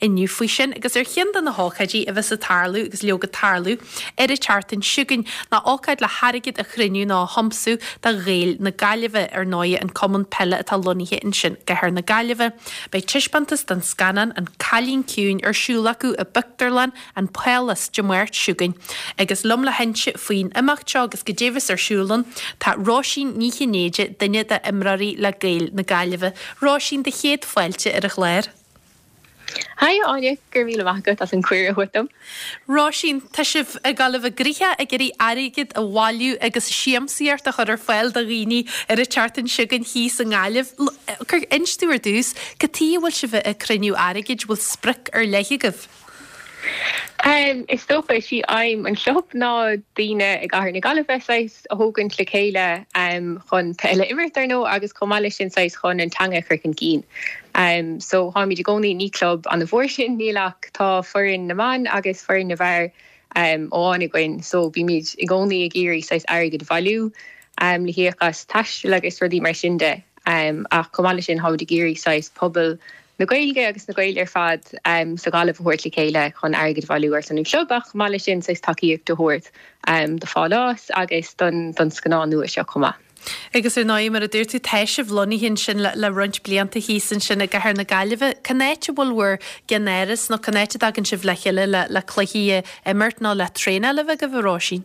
inniu faoi sin. Agus ar cheann de na hócáidí a bheas ag tarlú, agus leoga tarlú, ar an tseachtain seo chugainn, ná ócáid le hairgead a chruinniú nó a thiomsú do Ghaeil na Gaillimhe, ar ndóighe an cumann peile atá lonnaithe ansin i gcathair na Gaillimhe. Beidh taispeántas den scannán An Cailín Ciúin ar siúl acu i bpictiúrlann an Phálás Dé Máirt seo chugainn. Agus liom le hinse faoin imeacht seo agus goidé a bheas ar siúl ann, tá Róisín Ní Chinnéide, duine d'imreoirí le Gaeil na Gaillimhe. Róisín, do chéad fáilte ar an chlár. Haigh a Áine, go raibh míle maith agat as an cuireadh a thabhairt dom. Róisín, tá sibh ag dul a bheith gnoitheach ag iarraidh airgead a bhailiú agus siamsaíocht a chur ar fáil do dhaoine ar an tseachtain seo chugainn thíos i nGaillimh. Inis domh ar dtús, cad tuige a bhfuil sibh ag cruinniú airgid, bhfuil sprioc ar leith agaibh? Is dócha, is í aidhm an chlub ná daoine i gcathair na Gaillimhe saghas a thógaint le chéile chun peil a imirt, ar ndóigh, agus chomh maith leis sin saghas chun an teanga a chur chun cinn. So táimid i gcónaí, ní club an-mhór sinn, níl ach tá foireann na mban agus foireann na bhfear amháin againn so bímid i gcónaí ag iarraidh saghas airgead a bhailiú le híoc as taisteal agus rudaí mar sin de. Ach chomh maith leis sin táimid ag iarraidh saghas pobal na Gaeilge agus na Gaeil ar fad sa Ghaillimh a thabhairt le chéile chun airgead a bhailiú ar son an chlub ach chomh maith leis sin saghas tacaíocht a thabhairt do Phálás agus don scannán nua seo chomh maith. Agus ar ndóigh, mar a dúirt tú, tá sibh lonnaithe ansin le roinnt blianta thíos ansin i gcathair na Gaillimhe. Cén áit a bhfuil bhur gceannáras nó cén áit a dtagann sibh le chéile le cluichí a imirt nó le traenáil a bheith agaibh, a Róisín?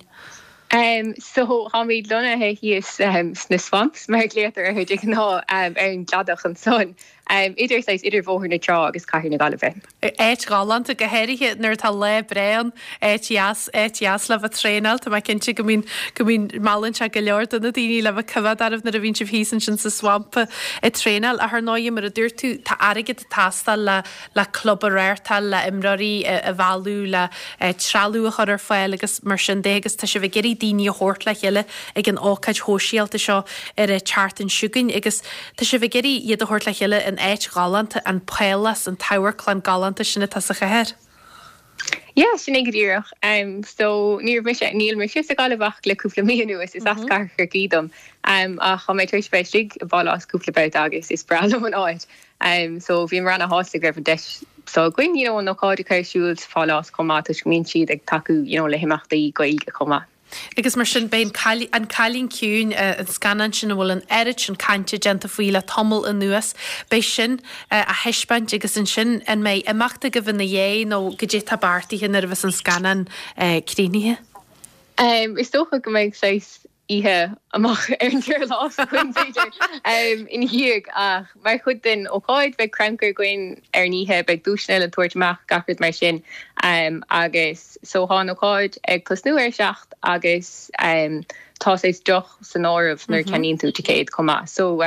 So, táimid lonnaithe thíos sna swamps, mar a ghlaotar orthu de ghnáth, ar an gcladach ansan. Idir, saghas, idir Bhóthar na Trá agus Cathair na Gaillimhe. Áit ghalánta, go háirithe nuair atá lá breá ann. Áit dheas, áit dheas le bheith traenáil. Tá mé cinnte go mbíonn, go mbíonn, meallann sé go leor de na daoine le bheith ag coimhéad oraibh nuair a bhíonn sibh thíos ansin sa swamp ag traenáil. Ach ar ndóighe, mar a dúirt tú, tá airgead ag teastáil le, le club a reáchtáil, le imreoirí a mhealladh, le trealamh a chur ar fáil agus mar sin de agus tá sibh ag iarraidh daoine a thabhairt le chéile ag an ócáid shóisialta seo ar an tseachtain seo chugainn agus Tá sibh ag iarraidh iad a thabhairt le chéile in áit ghalánta, an Pálás, an t-amharclann galánta sin atá sa chathair. Yeah, sin é go díreach. So, ní raibh mise, níl mise sa Ghaillimh ach le cúpla mí anuas, is as Cathair Chorcaí dom. Ach tá mé tar éis bheith istigh i bPálás cúpla babhta agus is breá liom an áit. So, bhíomar ana-shásta go raibh an deis seo againn, you know, an ócáid a chur ar siúl sa Phálás chomh maith toisc go mbíonn siad ag tacú, you know, le himeachtaí Gaeilge chomh maith. Agus mar sin, beidh An Cailín Ciúin, an scannán sin a bhfuil an oiread sin cainte déanta faoi le tamall anuas, beidh sin á thaispeáint agus ansin an mbeidh imeacht agaibh ina dhiaidh nó goidé atá beartaithe nuair a bheas an scannán críochnaithe? Is dócha go mbeidh saghas oíche amach ar an durlas againn b'fhéidir ina dhiaidh ach mar chuid den ócáid beidh crannchur againn ar an oíche, beidh duaiseanna le tabhairt amach, gach rud mar sin agus So tá an ócáid ag tosnú ar a 7 agus tá saghas deoch san áireamh nuair a cheannaíonn tú ticéad chomh maith. So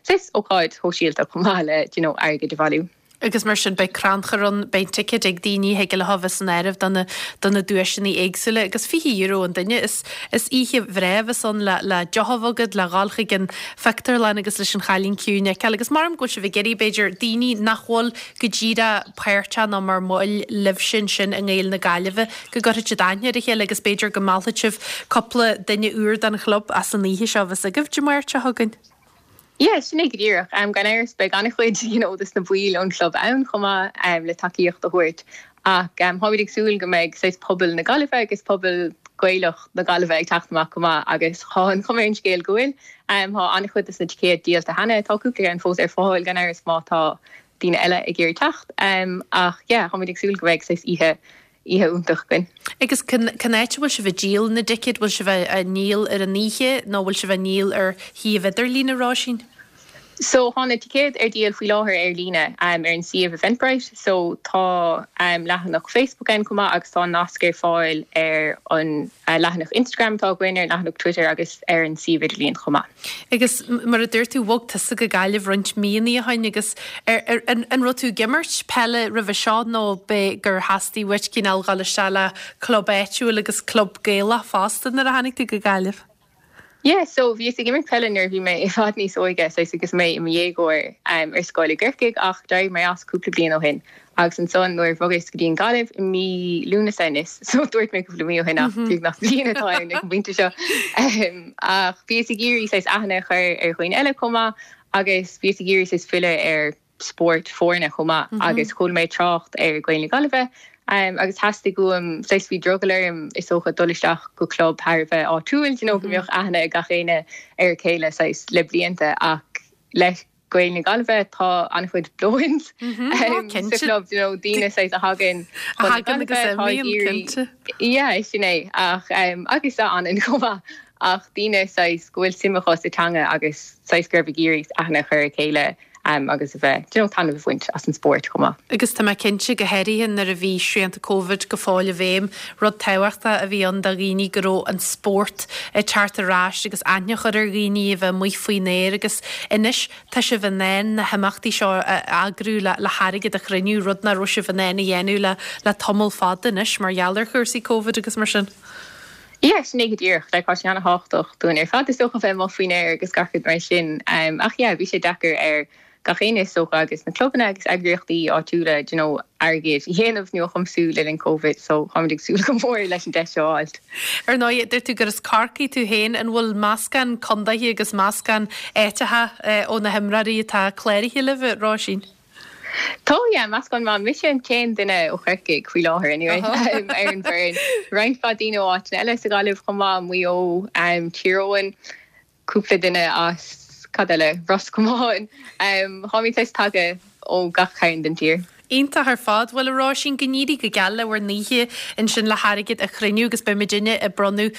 saghas ócáid shóisialta chomh maith le do you know airgead a bhailiú. Agus mar sin beidh crannchur ann, beidh ticéid ag daoine, thig leo a bheith san áireamh do na do na duaiseanna éagsúla agus €20 an duine. Is is oíche bhreá a bheas ann le le deoch a bheith agat, le dhul chuig an phictiúrlann agus leis an Chailín Ciúin a fheiceáil. Agus maram go bhfuil sibh ag iarraidh b'fhéidir daoine nach bhfuil go díreach páirteach nó mar bhaill libhse ansin i nGaeil na Gaillimhe, go gcuirfidh siad aithne ar a chéile agus b'fhéidir go meallfaidh sibh cúpla duine úr don chlub as an oíche seo a bheas agaibh Dé Máirt seo chugainn. Yeah, sin é go díreach. Gan amhras beidh an-chuid you know dos na baill ón chlub ann chomh maith le tacaíocht a thabhairt ach táimid ag súil go mbeidh saghas pobal na Gaillimhe agus pobal Gaelach na Gaillimhe ag teacht amach go maith agus tá an chuma ar an scéal go bhfuil. Tá an-chuid dos na ticéid díolta cheana, tá cúpla ceann fós ar fáil gan amhras má tá daoine eile ag iarraidh teacht. Ach yeah, táimid ag súil go mbeidh saghas oíche, oíche iontach againn. Agus cén áit a bhfuil sibh ag díol na dticéad? Bhfuil sibh á ndíol ar an oíche nó bhfuil sibh á ndíol ar shuíomh idirlín, a Róisín? So tá na ticéid ar díol faoi láthair ar líne ar an suíomh Eventbrite. So tá leathanach Facebook ann chomh maith agus tá nasc ar fáil ar an leathanach Instagram atá againn, ar an leathanach Twitter agus ar an suíomh idirlíon chomh maith. Agus mar a dúirt tú, bhog tusa go Gaillimh roinnt míonna ó shin agus ar, an, an raibh tú ag imirt peile roimhe seo nó b'é gur theastaigh uait cineál dhul isteach le club áitiúil agus club Gaelach fosta nuair a tháinig tú go Gaillimh? Yeah, so bhíos ag imirt peile nuair a bhí mé i bhfad níos óige, saghas agus mé i mo dhéagóir ar scoil i gCorcaigh ach d'éirigh mé as cúpla bliain ó shin. Agus ansan nuair a bhogas go dtí an Ghaillimh i mí Lúnasa anois, so dúirt mé cúpla mí ó shin ach beagnach bliain atá ann ag an bpointe seo. Ach bhíos ag iarraidh saghas aithne a chur ar dhaoine eile chomh maith agus bhíos ag iarraidh saghas filleadh ar. spórt foirne chomh maith agus chuala mé trácht ar Gaeil na Gaillimhe agus theastaigh uaim, saghas bhí drogall orm is dócha dul isteach go club thar a bheith áitiúil, you know, go mbeadh aithne ag gach éinne ar a chéile saghas le blianta ach le Gaeil na Gaillimhe tá an-chuid blow-ins sa chlub, you know, daoine saghas a thagann chun na Gaillimhe, atá ag iarraidh, yeah, sin é ach agus a fhanann chomh maith ach daoine saghas go bhfuil suim acu sa teanga agus saghas gurb ag iarraidh aithne a chur ar a chéile agus a bheith, you know, taitneamh a bhaint as an spórt chomh maith. Agus tá mé cinnte, go háirithe nuair a bhí srianta Covid go fóill i bhfeidhm, rud tábhachtach a bhí ann do dhaoine go raibh an spórt ag teacht ar ais agus aithne a chur ar dhaoine a bheith amuigh faoin aer agus anois tá sibh in ann na himeachtaí seo a eagrú le le hairgead a chruinniú, rud nach raibh sibh in ann a dhéanamh le le tamall fada anois mar gheall ar chúrsaí Covid agus mar sin. Yeah, sin é go díreach. Like, tá sé ana-thábhachtach dúinn ar fad is dócha bheith amuigh faoin aer agus gach rud mar sin. Ach yeah, bhí sé deacair ar gach éinne is dócha agus na clubanna agus eagraíochtaí áitiúla, do you know, airgead a dhéanamh nó a thiomsú le linn Covid so táimid ag súil go mór leis an deis seo a fháilt. Ar ndóigh, dúirt tú gur as Corcaigh tú féin, an bhfuil meascán condaetha agus meascán áiteacha ó na himreoirí atá cláraithe libh, a Róisín? Tá, yeah, meascán maith. Mise an t-aon duine ó Chorcaigh faoi láthair anyway ar an bhfoireann. Roinnt mhaith daoine ó áiteanna eile sa Ghaillimh chomh maith, Maigh Eo, Tír Eoghain, cúpla duine as, cad eile, Ros Comáin. Táimid saghas tagtha ó gach cearn den tír. Iontach ar fad. Bhuel, a Róisín, go n-éirí go geal le bhur n-oíche ansin le hairgead a chruinniú agus beidh muidinne ag bronnadh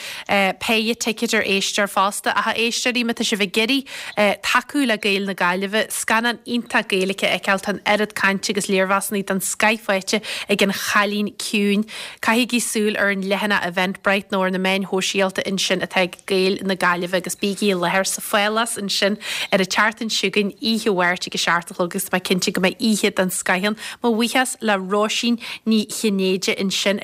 péire ticéad ar éisteoir fosta. Ach a éisteoirí, má tá sibh ag iarraidh tacú le Gaeil na Gaillimhe, scannán iontach Gaeilge a fheiceáil, tá an oiread cainte agus léirmheasanna den scoith faighte ag An Chailín Ciúin. Caithigí súil ar an leathanach Eventbrite nó ar na meáin shóisialta ansin atá ag Gaeil na Gaillimhe agus bígí i láthair sa Phálás ansin ar an tseachtain seo chugainn, oíche Mháirt ag a 7 a chlog agus tá mé cinnte go mbeidh oíche den scoith ann. Mo bhuíochas le Róisín Ní Chinnéide ansin.